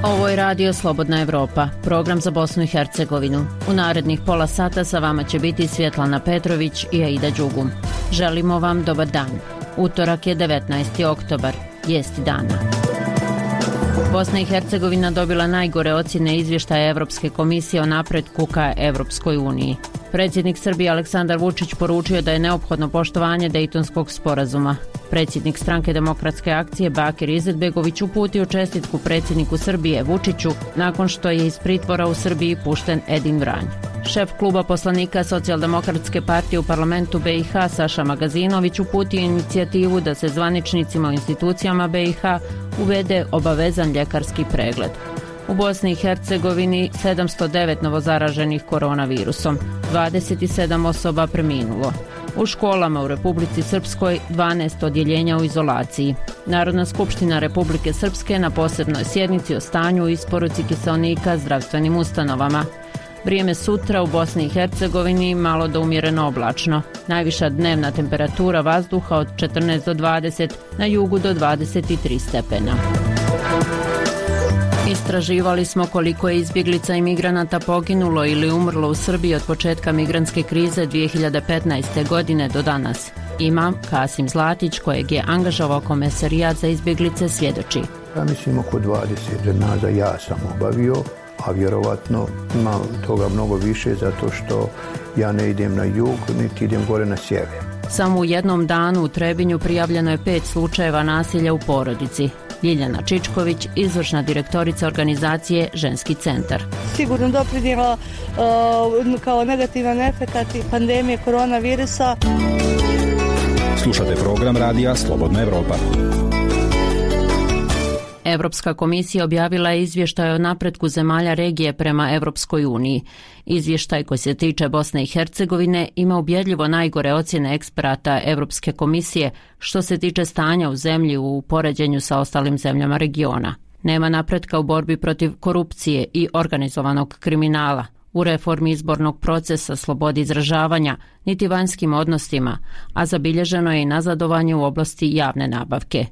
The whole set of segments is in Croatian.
Ovo je Radio Slobodna Evropa, program za Bosnu i Hercegovinu. U narednih pola sata sa vama će biti Svjetlana Petrović i Aida Đugum. Želimo vam dobar dan. Utorak je 19. oktobar, vijesti dana. Bosna i Hercegovina dobila najgore ocjene izvještaja Evropske komisije o napretku ka Evropskoj uniji. Predsjednik Srbije Aleksandar Vučić poručio da je neophodno poštovanje Dejtonskog sporazuma. Predsjednik Stranke demokratske akcije Bakir Izetbegović uputio čestitku predsjedniku Srbije Vučiću nakon što je iz pritvora u Srbiji pušten Edin Vranj. Šef kluba poslanika Socijaldemokratske partije u parlamentu BiH Saša Magazinović uputio inicijativu da se zvaničnicima u institucijama BiH uvede obavezan ljekarski pregled. U Bosni i Hercegovini 709 novozaraženih koronavirusom, 27 osoba preminulo. U školama u Republici Srpskoj 12 odjeljenja u izolaciji. Narodna skupština Republike Srpske na posebnoj sjednici o stanju i isporuci kiseonika zdravstvenim ustanovama. Vrijeme sutra u Bosni i Hercegovini malo do umjereno oblačno. Najviša dnevna temperatura vazduha od 14 do 20, na jugu do 23 stepena. Istraživali smo koliko je izbjeglica i migranata poginulo ili umrlo u Srbiji od početka migrantske krize 2015. godine do danas. Imam Kasim Zlatić, kojeg je angažovao Komesarijat za izbjeglice, svjedoči. Ja mislim oko 20 dženaza ja sam obavio, a vjerovatno ima toga mnogo više zato što ja ne idem na jug, niti idem gore na sjever. Samo u jednom danu u Trebinju prijavljeno je 5 slučajeva nasilja u porodici. Ljiljana Čičković, izvršna direktorica organizacije Ženski centar. Sigurno doprinijela kao negativan efekat pandemije koronavirusa. Slušate program Radija Slobodna Evropa. Evropska komisija objavila je izvještaj o napretku zemalja regije prema Evropskoj uniji. Izvještaj koji se tiče Bosne i Hercegovine ima ubjedljivo najgore ocjene eksperata Evropske komisije što se tiče stanja u zemlji u poređenju sa ostalim zemljama regiona. Nema napretka u borbi protiv korupcije i organizovanog kriminala, u reformi izbornog procesa, slobodi izražavanja, niti vanjskim odnosima, a zabilježeno je i nazadovanje u oblasti javne nabavke.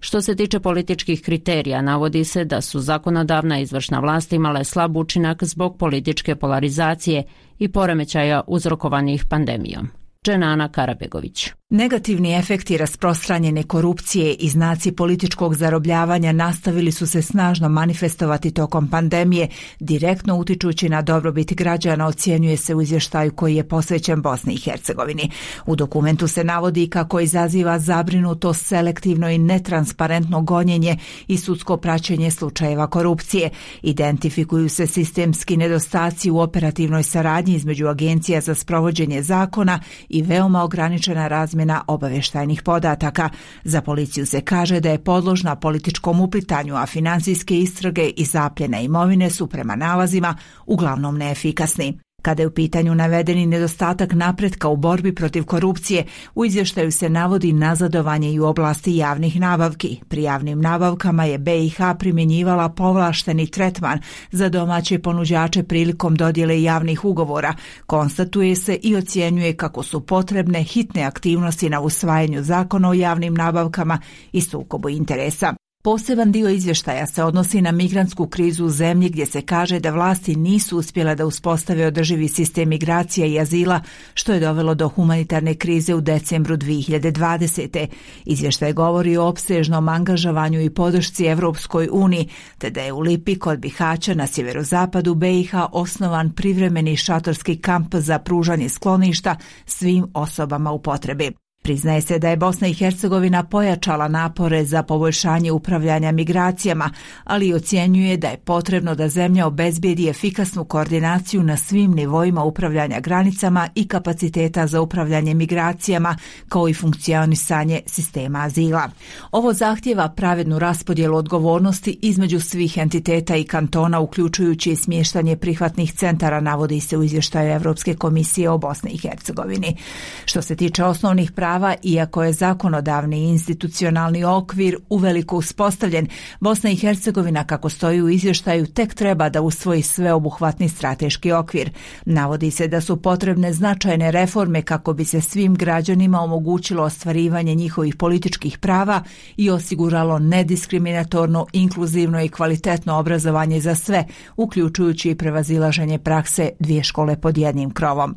Što se tiče političkih kriterija, navodi se da su zakonodavna i izvršna vlast imale slab učinak zbog političke polarizacije i poremećaja uzrokovanih pandemijom. Dženana Karabegović. Negativni efekti rasprostranjene korupcije i znaci političkog zarobljavanja nastavili su se snažno manifestovati tokom pandemije, direktno utičući na dobrobit građana, ocjenjuje se u izvještaju koji je posvećen Bosni i Hercegovini. U dokumentu se navodi kako izaziva zabrinutost selektivno i netransparentno gonjenje i sudsko praćenje slučajeva korupcije. Identifikuju se sistemski nedostaci u operativnoj saradnji između agencija za sprovođenje zakona i veoma ograničena razmjena obavještajnih podataka. Za policiju se kaže da je podložna političkom uplitanju, a financijske istrage i zapljene imovine su prema nalazima uglavnom neefikasni. Kada je u pitanju navedeni nedostatak napretka u borbi protiv korupcije, u izvještaju se navodi nazadovanje i u oblasti javnih nabavki. Pri javnim nabavkama je BiH primjenjivala povlašteni tretman za domaće ponuđače prilikom dodjele javnih ugovora. Konstatuje se i ocjenjuje kako su potrebne hitne aktivnosti na usvajanju zakona o javnim nabavkama i sukobu interesa. Poseban dio izvještaja se odnosi na migrantsku krizu u zemlji gdje se kaže da vlasti nisu uspjele da uspostave održivi sistem migracija i azila, što je dovelo do humanitarne krize u decembru 2020. Izvještaj govori o opsežnom angažovanju i podršci Evropskoj uniji, te da je u Lipi kod Bihaća na sjeverozapadu BiH osnovan privremeni šatorski kamp za pružanje skloništa svim osobama u potrebi. Priznaje se da je Bosna i Hercegovina pojačala napore za poboljšanje upravljanja migracijama, ali ocjenjuje da je potrebno da zemlja obezbijedi efikasnu koordinaciju na svim nivoima upravljanja granicama i kapaciteta za upravljanje migracijama, kao i funkcionisanje sistema azila. Ovo zahtjeva pravednu raspodjelu odgovornosti između svih entiteta i kantona, uključujući i smještanje prihvatnih centara, navodi se u izvještaju Evropske komisije o Bosni i Hercegovini. Što se tiče osnovnih prava prava, iako je zakonodavni i institucionalni okvir uveliko uspostavljen, Bosna i Hercegovina, kako stoji u izvještaju, tek treba da usvoji sveobuhvatni strateški okvir. Navodi se da su potrebne značajne reforme kako bi se svim građanima omogućilo ostvarivanje njihovih političkih prava i osiguralo nediskriminatorno, inkluzivno i kvalitetno obrazovanje za sve, uključujući i prevazilaženje prakse dvije škole pod jednim krovom.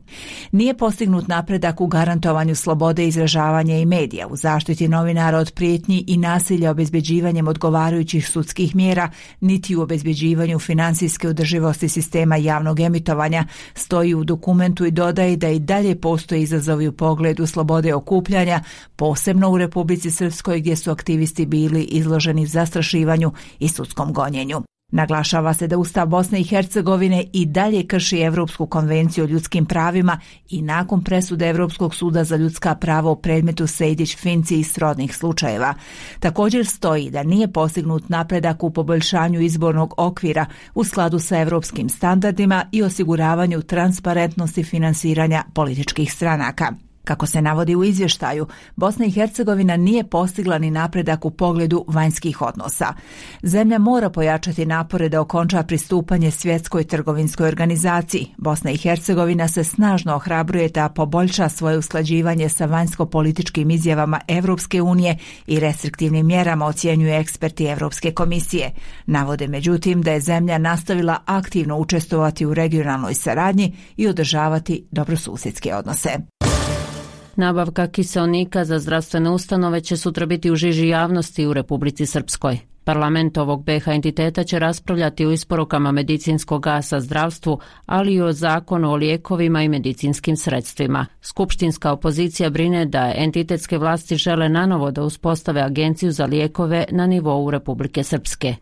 Nije postignut napredak u garantovanju slobode izražavanja i medija, u zaštiti novinara od prijetnji i nasilja obezbeđivanjem odgovarajućih sudskih mjera, niti u obezbeđivanju financijske održivosti sistema javnog emitovanja, stoji u dokumentu i dodaje da i dalje postoje izazovi u pogledu slobode okupljanja, posebno u Republici Srpskoj gdje su aktivisti bili izloženi zastrašivanju i sudskom gonjenju. Naglašava se da Ustav Bosne i Hercegovine i dalje krši Evropsku konvenciju o ljudskim pravima i nakon presude Evropskog suda za ljudska prava u predmetu Sejdić-Finci i srodnih slučajeva. Također stoji da nije postignut napredak u poboljšanju izbornog okvira u skladu sa evropskim standardima i osiguravanju transparentnosti finansiranja političkih stranaka. Kako se navodi u izvještaju, Bosna i Hercegovina nije postigla ni napredak u pogledu vanjskih odnosa. Zemlja mora pojačati napore da okonča pristupanje Svjetskoj trgovinskoj organizaciji. Bosna i Hercegovina se snažno ohrabruje da poboljša svoje usklađivanje sa vanjsko-političkim izjavama Evropske unije i restriktivnim mjerama, ocjenjuju eksperti Evropske komisije. Navode međutim da je zemlja nastavila aktivno učestvovati u regionalnoj saradnji i održavati dobrosusjedske odnose. Nabavka kiseonika za zdravstvene ustanove će sutra biti u žiži javnosti u Republici Srpskoj. Parlament ovog BiH entiteta će raspravljati o isporukama medicinskog gasa zdravstvu, ali i o zakonu o lijekovima i medicinskim sredstvima. Skupštinska opozicija brine da entitetske vlasti žele nanovo da uspostave agenciju za lijekove na nivou Republike Srpske.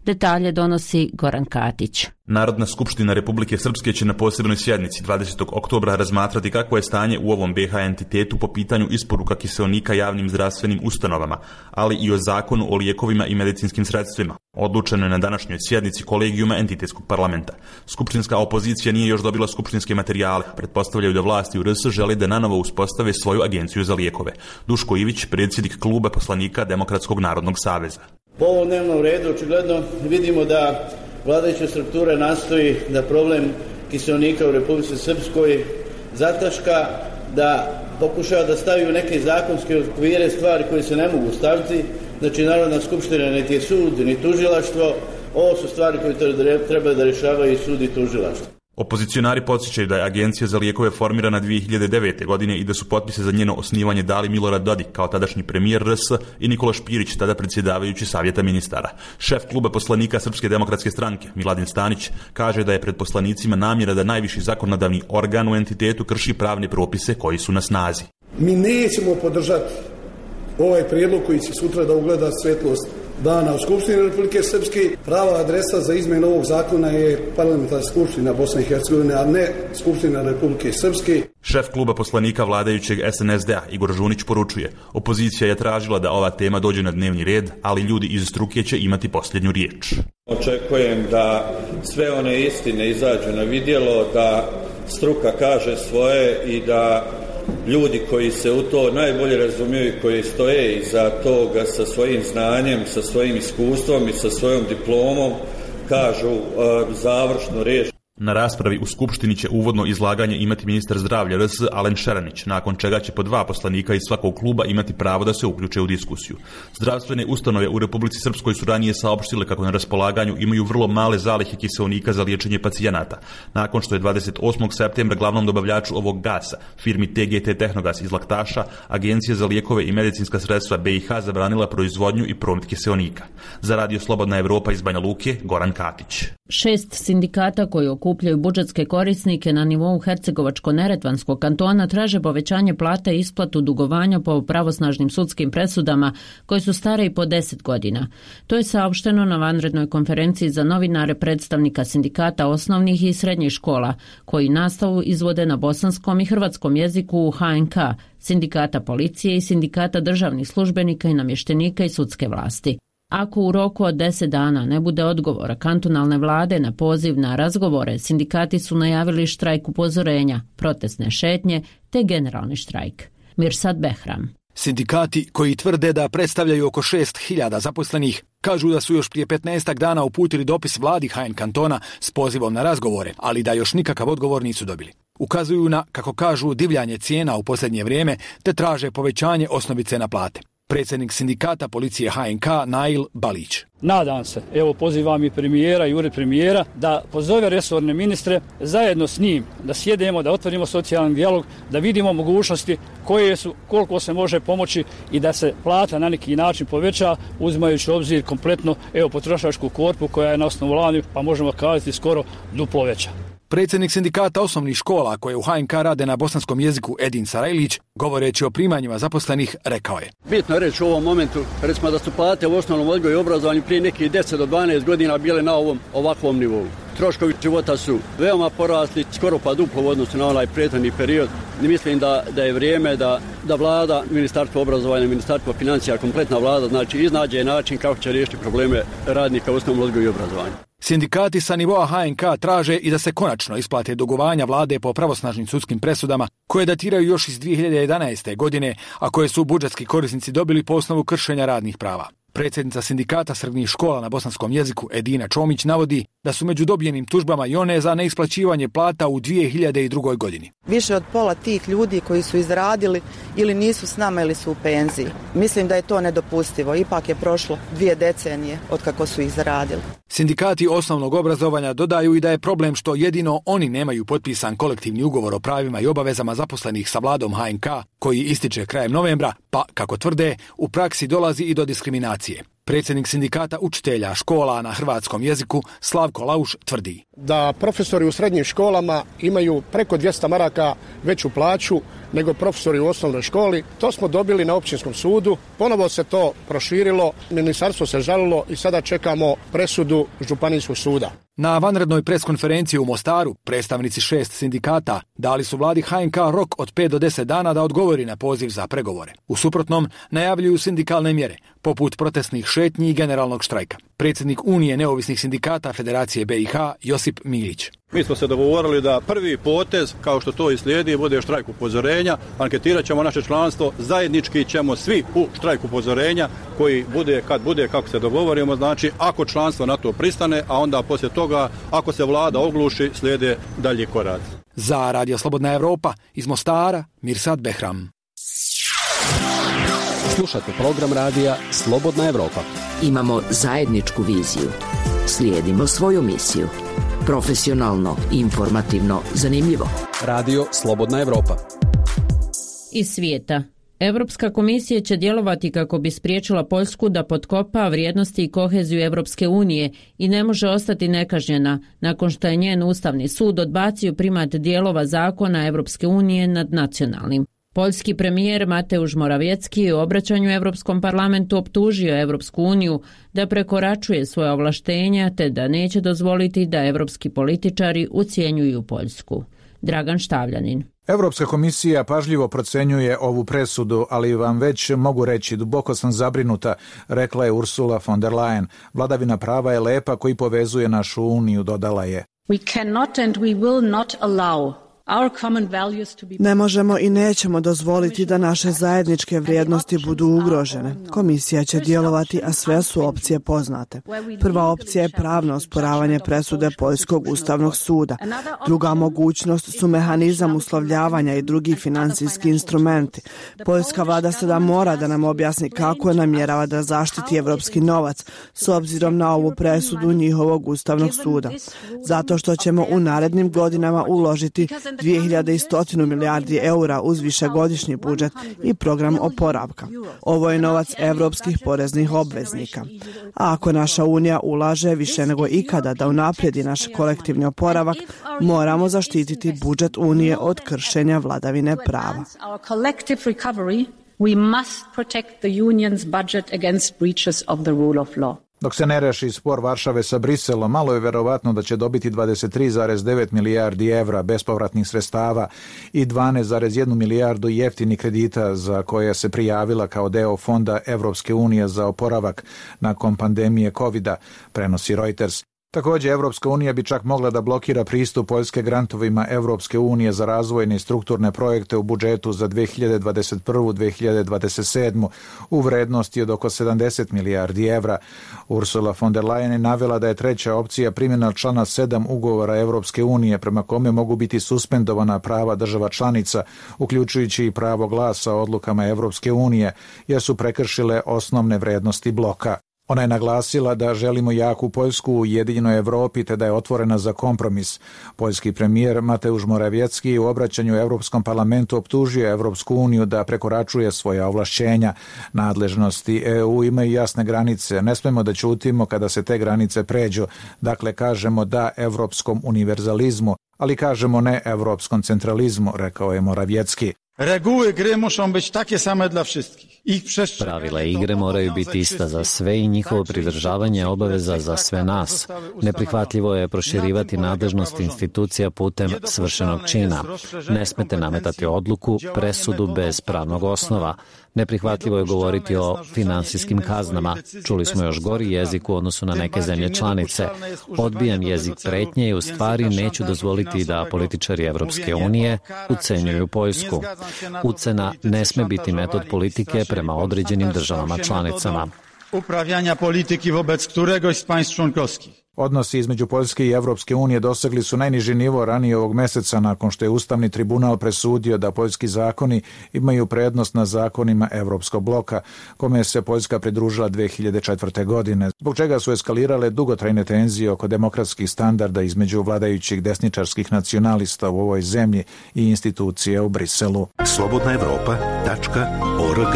Detalje donosi Goran Katić. Narodna skupština Republike Srpske će na posebnoj sjednici 20. oktobra razmatrati kakvo je stanje u ovom BiH entitetu po pitanju isporuka kiseonika javnim zdravstvenim ustanovama, ali i o zakonu o lijekovima i medicinskim sredstvima. Odlučeno je na današnjoj sjednici kolegijuma entitetskog parlamenta. Skupštinska opozicija nije još dobila skupštinske materijale. Pretpostavljaju da vlasti u RS žele da nanovo uspostave svoju agenciju za lijekove. Duško Ivić, predsjednik kluba poslanika Demokratskog narodnog saveza. Po ovom dnevnom redu očigledno vidimo da vladajuća struktura nastoji da problem kiseonika u Republici Srpskoj zataška, da pokušava da stavi u neke zakonske okvire stvari koje se ne mogu staviti. Znači, Narodna skupština niti je sud, ni tužilaštvo. Ovo su stvari koje treba da rješavaju i sud i tužilaštvo. Opozicionari podsjećaju da je Agencija za lijekove formirana 2009. godine i da su potpise za njeno osnivanje dali Milorad Dodik kao tadašnji premijer RS i Nikola Špirić, tada predsjedavajući Savjeta ministara. Šef kluba poslanika Srpske demokratske stranke, Miladin Stanić, kaže da je pred poslanicima namjera da najviši zakonodavni organ u entitetu krši pravne propise koji su na snazi. Mi nećemo podržati ovaj prijedlog koji će sutra da ugleda svjetlost dana u Skupštini Republike Srpske. Prava adresa za izmjenu ovog zakona je parlamentarna skupština Bosne i Hercegovine, a ne Skupština Republike Srpske. Šef kluba poslanika vladajućeg SNSD-a Igor Žunić poručuje: opozicija je tražila da ova tema dođe na dnevni red, ali ljudi iz struke će imati posljednju riječ. Očekujem da sve one istine izađu na vidjelo, da struka kaže svoje i da ljudi koji se u to najbolje razumiju i koji stoje iza toga sa svojim znanjem, sa svojim iskustvom i sa svojom diplomom kažu završnu riječ. Na raspravi u Skupštini će uvodno izlaganje imati ministar zdravlja RS Alen Šeranić, nakon čega će po 2 poslanika iz svakog kluba imati pravo da se uključe u diskusiju. Zdravstvene ustanove u Republici Srpskoj su ranije saopštile kako na raspolaganju imaju vrlo male zalihe kiseonika za liječenje pacijenata, nakon što je 28. septembra glavnom dobavljaču ovog gasa, firmi TGT Tehnogas iz Laktaša, Agencija za lijekove i medicinska sredstva BiH zabranila proizvodnju i promet kiseonika. Za Radio Slobodna Evropa iz Banja Luke, Goran Katić. 6 sindikata koji okupljaju budžetske korisnike na nivou Hercegovačko-Neretvanskog kantona traže povećanje plata i isplatu dugovanja po pravosnažnim sudskim presudama koje su stare i po 10 godina. To je saopšteno na vanrednoj konferenciji za novinare predstavnika sindikata osnovnih i srednjih škola koji nastavu izvode na bosanskom i hrvatskom jeziku u HNK, sindikata policije i sindikata državnih službenika i namještenika i sudske vlasti. Ako u roku od 10 dana ne bude odgovora kantonalne vlade na poziv na razgovore, sindikati su najavili štrajk upozorenja, protestne šetnje te generalni štrajk. Mirsad Behram. Sindikati koji tvrde da predstavljaju oko 6.000 zaposlenih kažu da su još prije 15 dana uputili dopis vladi HN kantona s pozivom na razgovore, ali da još nikakav odgovor nisu dobili. Ukazuju na, kako kažu, divljanje cijena u posljednje vrijeme te traže povećanje osnovice na plate. Predsjednik sindikata policije HNK Nail Balić. Nadam se, evo pozivam i premijera i ured premijera da pozove resorne ministre zajedno s njim, da sjedemo, da otvorimo socijalni dijalog, da vidimo mogućnosti koje su, koliko se može pomoći i da se plata na neki način poveća, uzimajući u obzir kompletno potrošačku korpu koja je na osnovu lani, pa možemo kazati skoro duplo veća. Predsjednik sindikata osnovnih škola koje u HNK rade na bosanskom jeziku Edin Sarajlić, govoreći o primanjima zaposlenih, rekao je: Bitno je reći u ovom momentu, recimo da su plate u osnovnom odgoju i obrazovanju prije nekih 10 do 12 godina bile na ovakvom nivou. Troškovi života su veoma porasli, skoro pa duplo u odnosu na onaj prethodni period. I mislim da je vrijeme da vlada, Ministarstvo obrazovanja, Ministarstvo financija, kompletna vlada, znači iznađe način kako će riješiti probleme radnika u osnovnom odgoju i obrazovanju. Sindikati sa nivoa HNK traže i da se konačno isplate dugovanja vlade po pravosnažnim sudskim presudama koje datiraju još iz 2011. godine, a koje su budžetski korisnici dobili po osnovu kršenja radnih prava. Predsjednica sindikata srednjih škola na bosanskom jeziku Edina Čomić navodi da su među dobijenim tužbama i one za neisplaćivanje plata u 2002. godini. Više od pola tih ljudi koji su izradili ili nisu s nama ili su u penziji. Mislim da je to nedopustivo. Ipak je prošlo 2 decenije od kako su ih zaradili. Sindikati osnovnog obrazovanja dodaju i da je problem što jedino oni nemaju potpisan kolektivni ugovor o pravima i obavezama zaposlenih sa vladom HNK koji ističe krajem novembra, pa, kako tvrde, u praksi dolazi i do diskriminacije. Predsjednik sindikata učitelja škola na hrvatskom jeziku Slavko Lauš tvrdi da profesori u srednjim školama imaju preko 200 maraka veću plaću nego profesori u osnovnoj školi. To smo dobili na općinskom sudu, ponovo se to proširilo, ministarstvo se žalilo i sada čekamo presudu županijskog suda. Na vanrednoj preskonferenciji u Mostaru predstavnici 6 sindikata dali su vladi HNK rok od 5 do 10 dana da odgovori na poziv za pregovore. U suprotnom najavljuju sindikalne mjere, poput protestnih šetnji i generalnog štrajka. Predsjednik Unije neovisnih sindikata Federacije BiH Josip Milić. Mi smo se dogovorili da prvi potez, kao što to i slijedi, bude štrajk upozorenja. Anketirat ćemo naše članstvo, zajednički ćemo svi u štrajk upozorenja koji bude kad bude, kako se dogovorimo, znači ako članstvo na to pristane, a onda poslije toga ako se vlada ogluši, slijede dalji koraci. Za Radio Slobodna Evropa iz Mostara, Mirsad Behram. Slušate program radija Slobodna Evropa. Imamo zajedničku viziju. Slijedimo svoju misiju. Profesionalno, informativno, zanimljivo. Radio Slobodna Evropa. Iz svijeta. Europska komisija će djelovati kako bi spriječila Poljsku da potkopa vrijednosti i koheziju Europske unije i ne može ostati nekažnjena nakon što je njen Ustavni sud odbacio primat dijelova zakona Europske unije nad nacionalnim. Poljski premijer Mateusz Morawiecki u obraćanju Europskom parlamentu optužio Europsku uniju da prekoračuje svoje ovlaštenja te da neće dozvoliti da europski političari ucjenjuju Poljsku. Dragan Štavljanin. Europska komisija pažljivo procenjuje ovu presudu, ali vam već mogu reći, duboko sam zabrinuta, rekla je Ursula von der Leyen. Vladavina prava je lepa koji povezuje našu uniju, dodala je. We cannot and we will not allow Ne možemo i nećemo dozvoliti da naše zajedničke vrijednosti budu ugrožene. Komisija će djelovati, a sve su opcije poznate. Prva opcija je pravno osporavanje presude Poljskog ustavnog suda. Druga mogućnost su mehanizam uslovljavanja i drugi financijski instrumenti. Poljska vlada sada mora da nam objasni kako namjerava da zaštiti evropski novac s obzirom na ovu presudu njihovog ustavnog suda. Zato što ćemo u narednim godinama uložiti 2100 milijardi eura uz višegodišnji budžet i program oporavka. Ovo je novac evropskih poreznih obveznika. A ako naša unija ulaže više nego ikada da unaprijedi naš kolektivni oporavak, moramo zaštititi budžet unije od kršenja vladavine prava. We must protect the union's budget against breaches of the rule of law. Dok se ne reši spor Varšave sa Briselom, malo je verovatno da će dobiti 23,9 milijardi evra bespovratnih sredstava i 12,1 milijardu jeftinih kredita za koje se prijavila kao deo fonda Evropske unije za oporavak nakon pandemije COVID-a, prenosi Reuters. Također, Evropska unija bi čak mogla da blokira pristup Poljske grantovima Evropske unije za razvojne i strukturne projekte u budžetu za 2021-2027 u vrednosti od oko 70 milijardi evra. Ursula von der Leyen je navela da je treća opcija primjena člana 7 ugovora Evropske unije prema kome mogu biti suspendovana prava država članica, uključujući i pravo glasa odlukama Evropske unije, jer su prekršile osnovne vrednosti bloka. Ona je naglasila da želimo jaku Poljsku u ujedinjenoj Evropi te da je otvorena za kompromis. Poljski premijer Mateusz Morawiecki u obraćanju Europskom parlamentu optužio Evropsku uniju da prekoračuje svoja ovlašćenja. Nadležnosti EU imaju jasne granice. Ne smemo da ćutimo kada se te granice pređu. Dakle, kažemo da evropskom univerzalizmu, ali kažemo ne evropskom centralizmu, rekao je Morawiecki. Reguły gry muszą być takie same dla wszystkich. Pravila igre moraju biti ista za sve i njihovo pridržavanje je obaveza za sve nas. Neprihvatljivo je proširivati nadležnost institucija putem svršenog čina. Ne smete nametati odluku, presudu bez pravnog osnova. Neprihvatljivo je govoriti o finansijskim kaznama. Čuli smo još gori jezik u odnosu na neke zemlje članice. Odbijam jezik pretnje i u stvari neću dozvoliti da političari Evropske unije ucenjuju Poljsku. Ucena ne sme biti metod politike prema određenim državama članicama. Uprawiania polityki wobec któregoś z państw członkowskich. Odnosi između Poljske i Evropske unije dosegli su najniži nivo ranije ovog meseca nakon što je Ustavni tribunal presudio da poljski zakoni imaju prednost na zakonima Evropskog bloka, kome se Poljska pridružila 2004. godine, zbog čega su eskalirale dugotrajne tenzije oko demokratskih standarda između vladajućih desničarskih nacionalista u ovoj zemlji i institucije u Briselu. slobodnaevropa.org.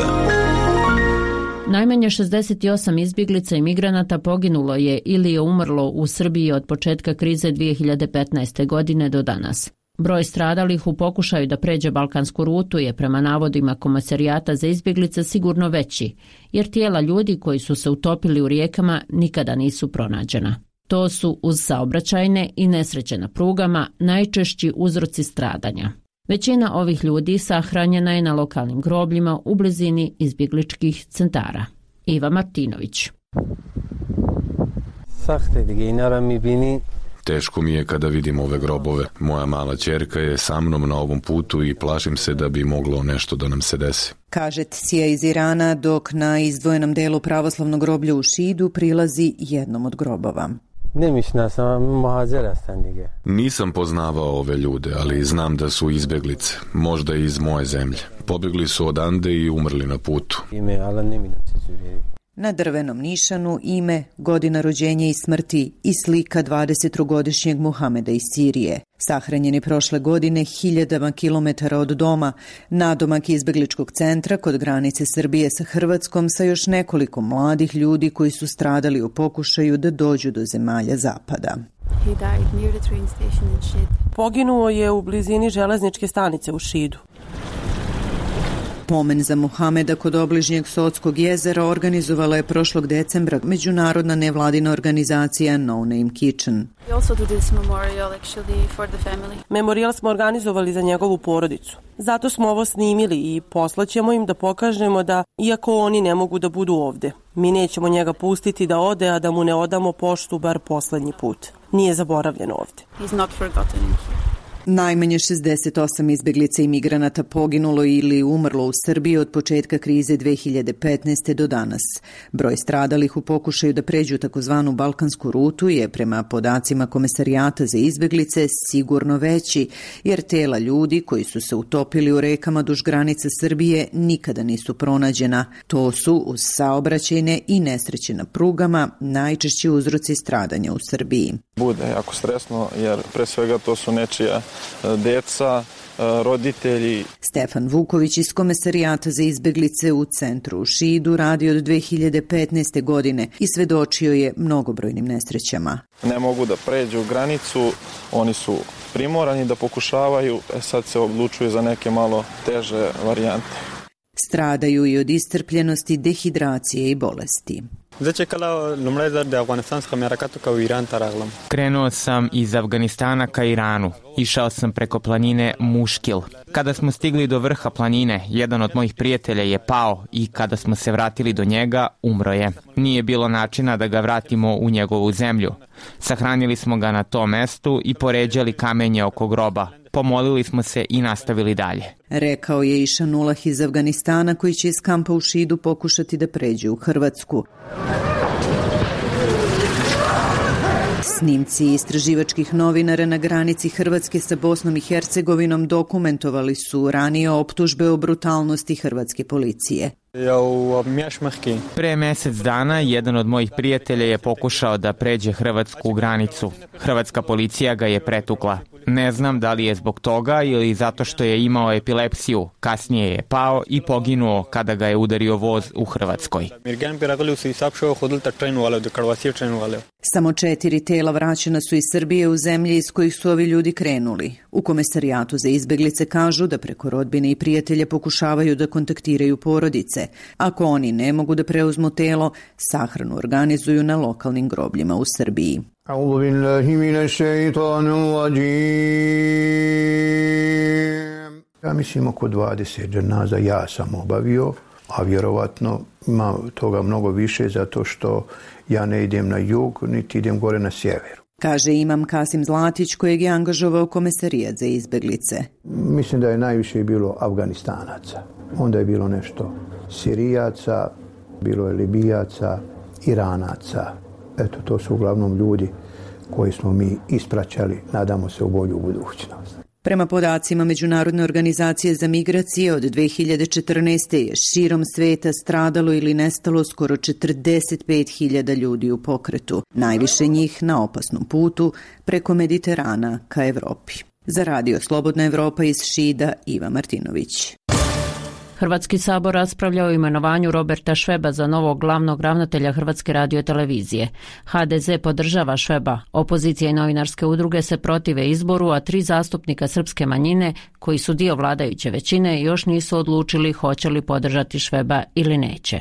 Najmanje 68 izbjeglica i migranata poginulo je ili je umrlo u Srbiji od početka krize 2015. godine do danas. Broj stradalih u pokušaju da pređe balkansku rutu je prema navodima Komesarijata za izbjeglice sigurno veći, jer tijela ljudi koji su se utopili u rijekama nikada nisu pronađena. To su uz saobraćajne i nesreće na prugama najčešći uzroci stradanja. Većina ovih ljudi sahranjena je na lokalnim grobljima u blizini izbjegličkih centara. Iva Martinović. Teško mi je kada vidim ove grobove. Moja mala ćerka je sa mnom na ovom putu i plašim se da bi moglo nešto da nam se desi. Kaže Cija iz Irana, dok na izdvojenom delu pravoslavnog groblja u Šidu prilazi jednom od grobova. Nisam poznavao ove ljude, ali znam da su izbjeglice, možda iz moje zemlje. Pobjegli su odande i umrli na putu. Na drvenom nišanu ime, godina rođenja i smrti i slika 23-godišnjeg Muhameda iz Sirije. Sahranjeni prošle godine hiljadama kilometara od doma, nadomak izbegličkog centra kod granice Srbije sa Hrvatskom sa još nekoliko mladih ljudi koji su stradali u pokušaju da dođu do zemalja zapada. Poginuo je u blizini železničke stanice u Šidu. Pomen za Muhameda kod obližnjeg Sotskog jezera organizovala je prošlog decembra međunarodna nevladina organizacija No Name Kitchen. Memorijal smo organizovali za njegovu porodicu. Zato smo ovo snimili i poslaćemo im da pokažemo da, iako oni ne mogu da budu ovde, mi nećemo njega pustiti da ode, a da mu ne odamo poštu bar poslednji put. Nije zaboravljen ovde. Najmanje 68 izbjeglica i migranata poginulo ili umrlo u Srbiji od početka krize 2015. do danas. Broj stradalih u pokušaju da pređu takozvanu balkansku rutu je prema podacima Komesarijata za izbjeglice sigurno veći, jer tela ljudi koji su se utopili u rekama duž granice Srbije nikada nisu pronađena. To su uz saobraćajne i nesreće na prugama najčešći uzroci stradanja u Srbiji. Bude jako stresno jer pre svega to su nečija deca, roditelji. Stefan Vuković iz Komesarijata za izbjeglice u centru u Šidu radi od 2015. godine i svedočio je mnogobrojnim nesrećama. Ne mogu da pređu granicu, oni su primorani da pokušavaju, sad se odlučuju za neke malo teže varijante. Stradaju i od iscrpljenosti, dehidracije i bolesti. Krenuo sam iz Afganistana ka Iranu. Išao sam preko planine Muškil. Kada smo stigli do vrha planine, jedan od mojih prijatelja je pao i kada smo se vratili do njega, umro je. Nije bilo načina da ga vratimo u njegovu zemlju. Sahranili smo ga na tom mestu i poređali kamenje oko groba. Pomolili smo se i nastavili dalje. Rekao je Išanulah iz Afganistana koji će iz kampa u Šidu pokušati da pređe u Hrvatsku. Snimci istraživačkih novinara na granici Hrvatske sa Bosnom i Hercegovinom dokumentovali su ranije optužbe o brutalnosti hrvatske policije. Pre mjesec dana jedan od mojih prijatelja je pokušao da pređe hrvatsku granicu. Hrvatska policija ga je pretukla. Ne znam da li je zbog toga ili zato što je imao epilepsiju. Kasnije je pao i poginuo kada ga je udario voz u Hrvatskoj. Samo 4 tela vraćena su iz Srbije u zemlje iz kojih su ovi ljudi krenuli. U Komesarijatu za izbeglice kažu da preko rodbine i prijatelja pokušavaju da kontaktiraju porodice. Ako oni ne mogu da preuzmu telo, sahranu organizuju na lokalnim grobljima u Srbiji. A'udhu billahi minash shaitanir rajim. Ja mislim oko 20 dženaza ja sam obavio, a vjerovatno ima toga mnogo više zato što ja ne idem na jug, niti idem gore na sjever. Kaže imam Kasim Zlatić kojeg je angažovao Komesarijat za izbeglice. Mislim da je najviše bilo Afganistanaca. Onda je bilo nešto Sirijaca, bilo je Libijaca, Iranaca. Eto, to su uglavnom ljudi koji smo mi ispraćali, nadamo se u bolju budućnost. Prema podacima Međunarodne organizacije za migracije, od 2014. je širom sveta stradalo ili nestalo skoro 45.000 ljudi u pokretu, najviše njih na opasnom putu preko Mediterana ka Evropi. Za Radio Slobodna Evropa iz Šida, Iva Martinović. Hrvatski sabor raspravlja o imenovanju Roberta Šveba za novog glavnog ravnatelja Hrvatske radiotelevizije. HDZ podržava Šveba, opozicija i novinarske udruge se protive izboru, a 3 zastupnika srpske manjine, koji su dio vladajuće većine, još nisu odlučili hoće li podržati Šveba ili neće.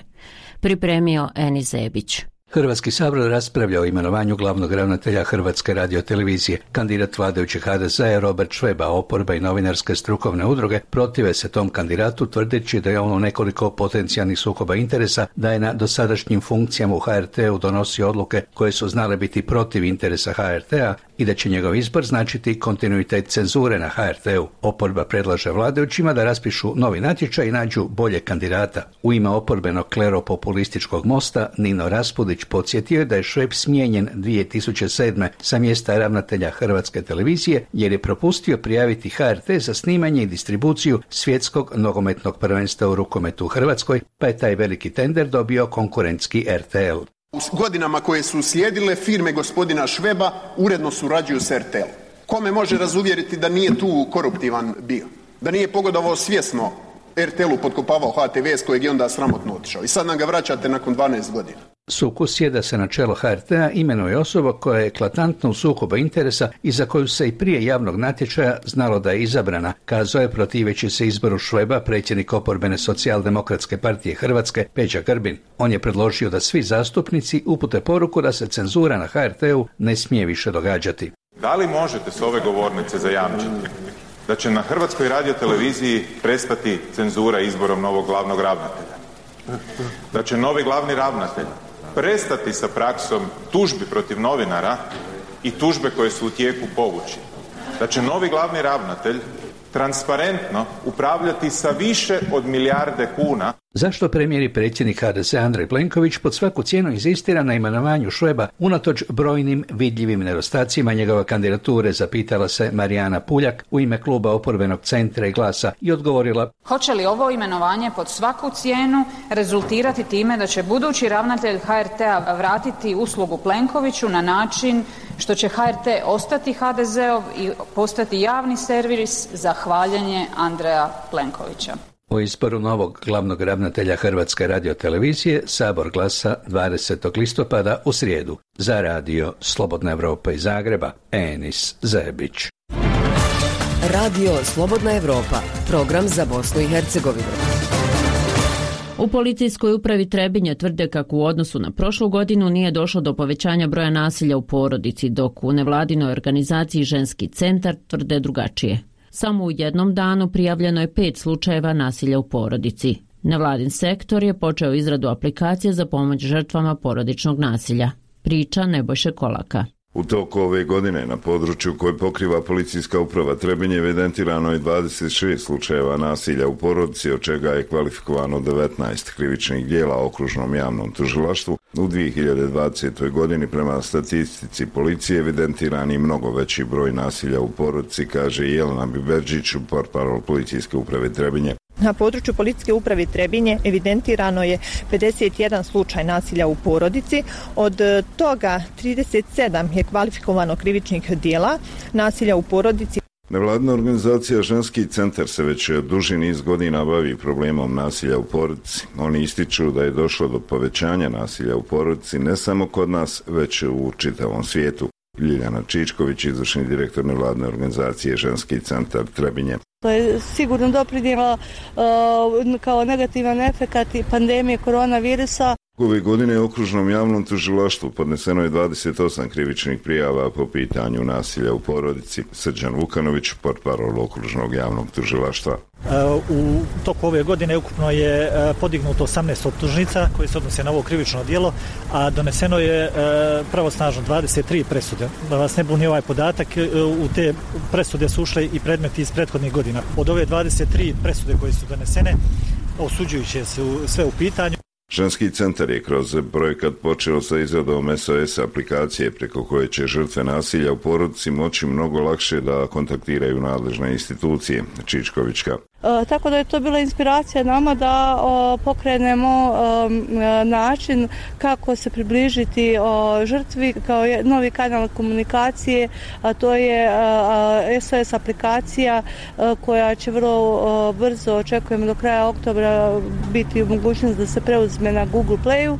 Pripremio Eni Zebić. Hrvatski sabor raspravlja o imenovanju glavnog ravnatelja Hrvatske radiotelevizije. Kandidat vladajućeg HDZ-a je Robert Šveba, oporba i novinarske strukovne udruge protive se tom kandidatu tvrdeći da je on u nekoliko potencijalnih sukoba interesa, da je na dosadašnjim funkcijama u HRT-u donosio odluke koje su znale biti protiv interesa HRT-a i da će njegov izbor značiti kontinuitet cenzure na HRT-u. Oporba predlaže vladajućima da raspišu novi natječaj i nađu bolje kandidata. U ime oporbenog kleropopulističkog Mosta Nino Raspudić podsjetio je da je Šveb smijenjen 2007. sa mjesta ravnatelja Hrvatske televizije jer je propustio prijaviti HRT za snimanje i distribuciju svjetskog nogometnog prvenstva u rukometu u Hrvatskoj, pa je taj veliki tender dobio konkurentski RTL. U godinama koje su slijedile, firme gospodina Šveba uredno surađuju s RTL. Kome može razuvjeriti da nije tu koruptivan bio? Da nije pogodovao svjesno RTL-u, potkopavao HTV s kojeg je onda sramotno otišao. I sad nam ga vraćate nakon 12 godina. Sukus je da se na čelo HRT-a imenuje osoba koja je eklatantno u sukobu interesa i za koju se i prije javnog natječaja znalo da je izabrana, kazao je protiveći se izboru Šveba predsjednik oporbene Socijaldemokratske partije Hrvatske Peđa Grbin. On je predložio da svi zastupnici upute poruku da se cenzura na HRT-u ne smije više događati. Da li možete s ove govornice zajamčiti da će na Hrvatskoj radioteleviziji prestati cenzura izborom novog glavnog ravnatelja? Da će novi glavni ravnatelj prestati sa praksom tužbi protiv novinara i tužbe koje su u tijeku povući? Da će novi glavni ravnatelj transparentno upravljati sa više od milijarde kuna? Zašto premijer i predsjednik HDZ Andrej Plenković pod svaku cijenu inzistira na imenovanju Šveba unatoč brojnim vidljivim nedostacima njegove kandidature, zapitala se Marijana Puljak u ime kluba oporbenog Centra i Glasa i odgovorila: hoće li ovo imenovanje pod svaku cijenu rezultirati time da će budući ravnatelj HRT-a vratiti uslugu Plenkoviću na način što će HRT ostati HDZ-ov i postati javni servis za hvaljenje Andreja Plenkovića? O izboru novog glavnog ravnatelja Hrvatske radiotelevizije Sabor glasa 20. listopada u srijedu. Za Radio Slobodna Evropa iz Zagreba, Enis Zebić. Radio Slobodna Evropa, program za Bosnu i Hercegovinu. U policijskoj upravi Trebinje tvrde kako u odnosu na prošlu godinu nije došlo do povećanja broja nasilja u porodici, dok u nevladinoj organizaciji Ženski centar tvrde drugačije. Samo u jednom danu prijavljeno je 5 slučajeva nasilja u porodici. Nevladin sektor je počeo izradu aplikacije za pomoć žrtvama porodičnog nasilja. Priča Nebojše Kolaka. U toku ove godine na području koje pokriva policijska uprava Trebinje evidentirano je 26 slučajeva nasilja u porodici, od čega je kvalifikovano 19 krivičnih djela okružnom javnom tužilaštvu. U 2020. godini prema statistici policije evidentiran je mnogo veći broj nasilja u porodici, kaže Jelena Biberđić, portparol policijske uprave Trebinje. Na području policijske uprave Trebinje evidentirano je 51 slučaj nasilja u porodici, od toga 37 je kvalifikovano krivičnih djela nasilja u porodici. Nevladina organizacija Ženski centar se već duži niz godina bavi problemom nasilja u porodici. Oni ističu da je došlo do povećanja nasilja u porodici ne samo kod nas, već u čitavom svijetu. Ljiljana Čičković, izvršni direktor nevladine organizacije Ženski centar Trebinje. To je sigurno doprinijelo kao negativan efekat i pandemije koronavirusa. Ove godine u okružnom javnom tužilaštvu podneseno je 28 krivičnih prijava po pitanju nasilja u porodici. Srđan Vukanović, portparol okružnog javnog tužilaštva. U toku ove godine ukupno je podignuto 18 optužnica koje se odnose na ovo krivično djelo, a doneseno je pravosnažno 23 presude. Da vas ne buni ovaj podatak, u te presude su ušle i predmeti iz prethodnih godina. Od ove 23 presude koje su donesene, osuđujuće su sve u pitanju. Ženski centar je kroz projekat počeo sa izradom SOS aplikacije preko koje će žrtve nasilja u porodici moći mnogo lakše da kontaktiraju nadležne institucije. Čičkovićka. Tako da je to bila inspiracija nama da pokrenemo način kako se približiti žrtvi kao novi kanal komunikacije, a to je SOS aplikacija koja će vrlo brzo, očekujemo do kraja oktobra, biti u mogućnost da se preuzme na Google Playu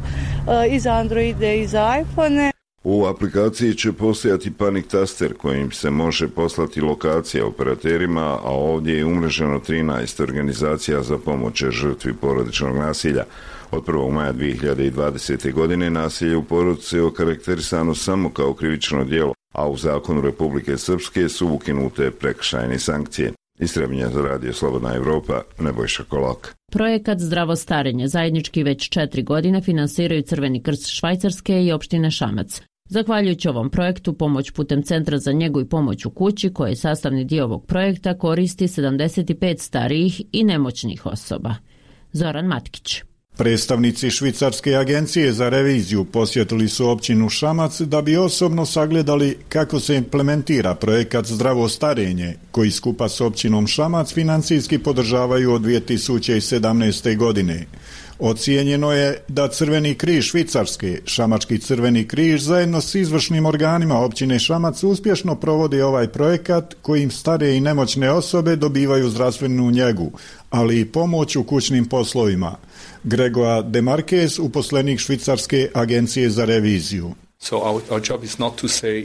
i za Androide i za iPhone. U aplikaciji će postojati panik taster kojim se može poslati lokacija operaterima, a ovdje je umreženo 13 organizacija za pomoć žrtvi porodičnog nasilja. Od 1. maja 2020. godine nasilje u porodici je okarakterisano samo kao krivično djelo, a u zakonu Republike Srpske su ukinute prekršajne sankcije. Iz Trebinja za radio Slobodna Evropa, Nebojša Kolak. Projekat Zdravo starenje zajednički već 4 godine finansiraju Crveni krst Švajcarske i opštine Šamac. Zahvaljujući ovom projektu, pomoć putem Centra za njegu i pomoć u kući, koji je sastavni dio ovog projekta, koristi 75 starijih i nemoćnih osoba. Zoran Matkić. Predstavnici Švicarske agencije za reviziju posjetili su općinu Šamac da bi osobno sagledali kako se implementira projekat Zdravo starenje, koji skupa s općinom Šamac financijski podržavaju od 2017. godine. Ocijenjeno je da Crveni križ Švicarske, Šamački Crveni križ, zajedno s izvršnim organima općine Šamac uspješno provodi ovaj projekat kojim stare i nemoćne osobe dobivaju zdravstvenu njegu, ali i pomoć u kućnim poslovima. Gregor Demarquez, uposlenik Švicarske agencije za reviziju.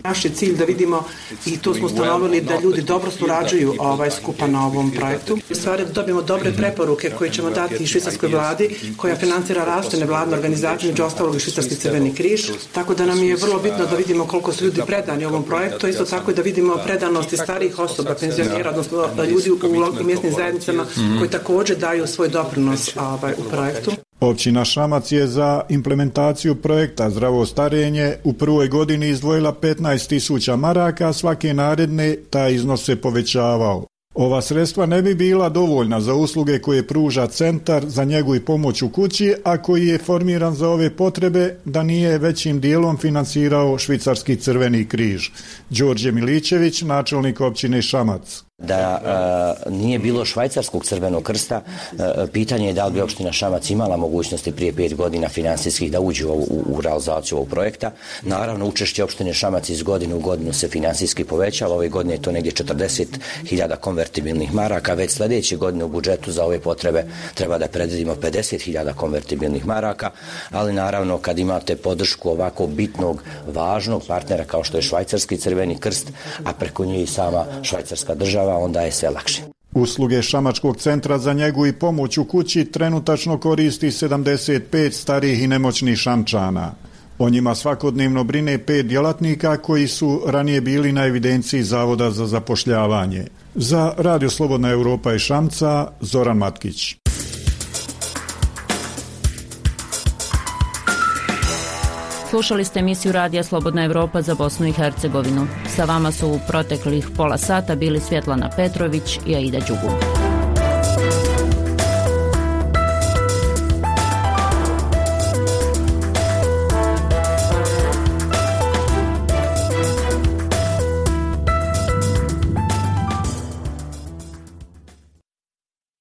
Naš je cilj da vidimo, i tu smo ustanovili, da ljudi dobro surađuju skupa na ovom projektu. U stvari da dobijemo dobre preporuke koje ćemo dati švicarskoj vladi, koja financira različite nevladine organizacije, među ostalog i Švicarski Crveni križ. Tako da nam je vrlo bitno da vidimo koliko su ljudi predani ovom projektu, isto tako i da vidimo predanosti starijih osoba, penzionera, odnosno ljudi u mjesnim zajednicama koji također daju svoj doprinos u projektu. Općina Šamac je za implementaciju projekta Zdravo starenje u prvoj godini izdvojila 15.000 maraka, svake naredne taj iznos se povećavao. Ova sredstva ne bi bila dovoljna za usluge koje pruža Centar za njegu i pomoć u kući, a koji je formiran za ove potrebe da nije većim dijelom finansirao Švicarski Crveni križ. Đorđe Milićević, načelnik općine Šamac. Da nije bilo Švajcarskog Crvenog krsta, pitanje je da li bi opština Šamac imala mogućnosti prije 5 godina finansijskih da uđe u realizaciju ovog projekta. Naravno, učešće opštine Šamac iz godine u godinu se finansijski povećava. Ove godine je to negdje 40.000 konvertibilnih maraka. Već sljedeće godine u budžetu za ove potrebe treba da predvidimo 50.000 konvertibilnih maraka, ali naravno kad imate podršku ovako bitnog, važnog partnera kao što je Švajcarski Crveni krst, a preko nje i sama Švajcarska država, onda je sve lakše. Usluge Šamačkog centra za njegu i pomoć u kući trenutačno koristi 75 starih i nemoćnih Šamčana. O njima svakodnevno brine 5 djelatnika koji su ranije bili na evidenciji Zavoda za zapošljavanje. Za Radio Slobodna Europa i Šamca, Zoran Matkić. Slušali ste emisiju Radija Slobodna Europa za Bosnu i Hercegovinu. Sa vama su u proteklih pola sata bili Svjetlana Petrović i Aida Đugum.